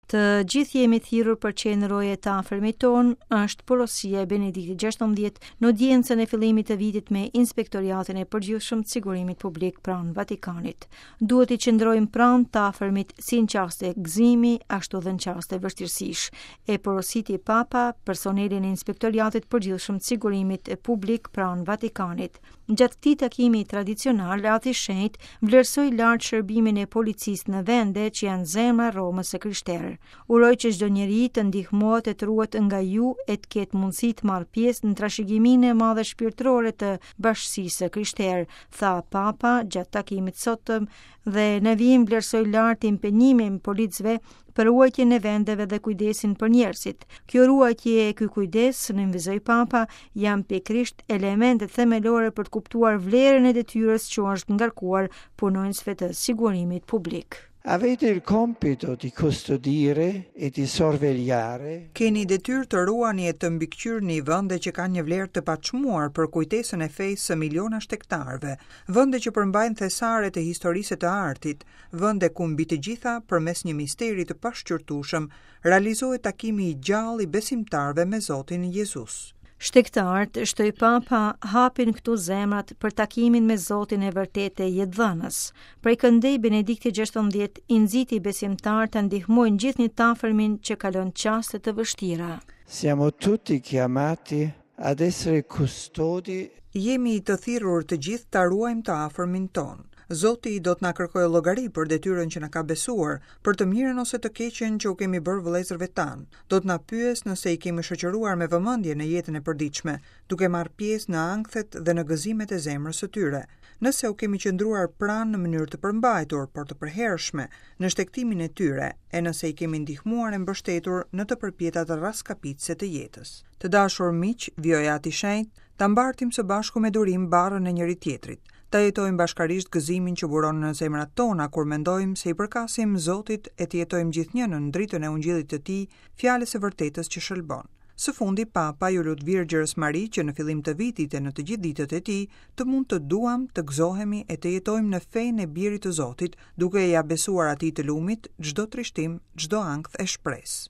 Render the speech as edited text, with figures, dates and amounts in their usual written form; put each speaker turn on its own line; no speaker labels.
Të gjithë jemi thirrur për qenë roje të afërmit tonë, është porosia e Benediktit XVI në audiencën e fillimit të vitit me Inspektoriatin e Përgjithshëm të Sigurimit Publik pranë Vatikanit. Duhet t'i qëndrojmë pranë të afërmit si në çaste gëzimi, ashtu dhe në çaste vështirësish, e porositi Papa personelin e Inspektoriatit të Përgjithshëm të Sigurimit Publik pranë Vatikanit. Gjatë këtij takimi tradicional, Ati i Shenjtë vlerësoi lart shërbimin e policisë në vende që janë zemra e Romës së krishterë. Uroj që çdo njeri të ndihmohet e të ruhet nga ju e të ketë mundësi të marrë pjesë në trashëgiminë e madhe shpirtërore të bashkësisë së krishterë, tha Papa gjatë takimit të sotëm dhe në vijim vlerësoi lart impenjimin e policëve për ruajtjen e vendeve dhe kujdesin për njerëzit. Kjo ruajtje e ky kujdes, nënvizoi Papa, janë pikërisht elementet themelore për të kuptuar vlerën e detyrës që u është ngarkuar punonjësve të sigurimit publik.
Avete il compito di custodire e di sorvegliare.
Keni detyrë të ruani e të mbikëqyrni vende që kanë një vlerë të paçmuar për kujtesën e fesë së miliona shtegtarëve, vende që përmbajnë thesare të historisë e të artit, vende ku mbi të gjitha përmes një misteri të pashqyrtueshëm realizohet takimi i gjallë i besimtarëve me Zotin Jezus.
Shtegtarët, shtoi Papa, hapin këtu zemrat për takimin me Zotin e vërtetë e jetëdhënës. Prej këndej Benedikti XVI i nxiti besimtarët të ndihmojnë gjithnjë të afërmin që kalon çaste të vështira.
Siamo tutti chiamati ad essere custodi
Jemi të thirrur të gjithë ta ruajmë të afërmin tonë. Zoti do të na kërkojë llogari për detyrën që na ka besuar, për të mirën ose të keqen që u kemi bërë vëllezërve tanë. Do të na pyesë nëse i kemi shoqëruar me vëmendje në jetën e përditshme, duke marrë pjesë në ankthet dhe në gëzimet e zemrës së tyre. Nëse u kemi qëndruar pranë në mënyrë të përmbajtur, por të përhershme, në shtegtimin e tyre, e nëse i kemi ndihmuar e mbështetur në të përpjetat rraskapitëse të jetës. Të dashur miq, vijoi Ati i Shenjtë, ta mbartim së bashku me durim barrën e njëri-tjetrit, ta jetojmë bashkarisht gëzimin që buron në zemrat tona kur mendojmë se i përkasim Zotit e të jetojmë gjithnjë nën dritën e Ungjillit të Tij, fjalës së vërtetës që shëlbon. Së fundi, Papa iu lut Virgjërës Mari që në fillim të vitit e në të gjithë ditët e tij, të mund të duam, të gëzohemi e të jetojmë në fenë e Birit të Zotit, duke ia besuar Atij të Lumit çdo trishtim, çdo ankth e shpresë.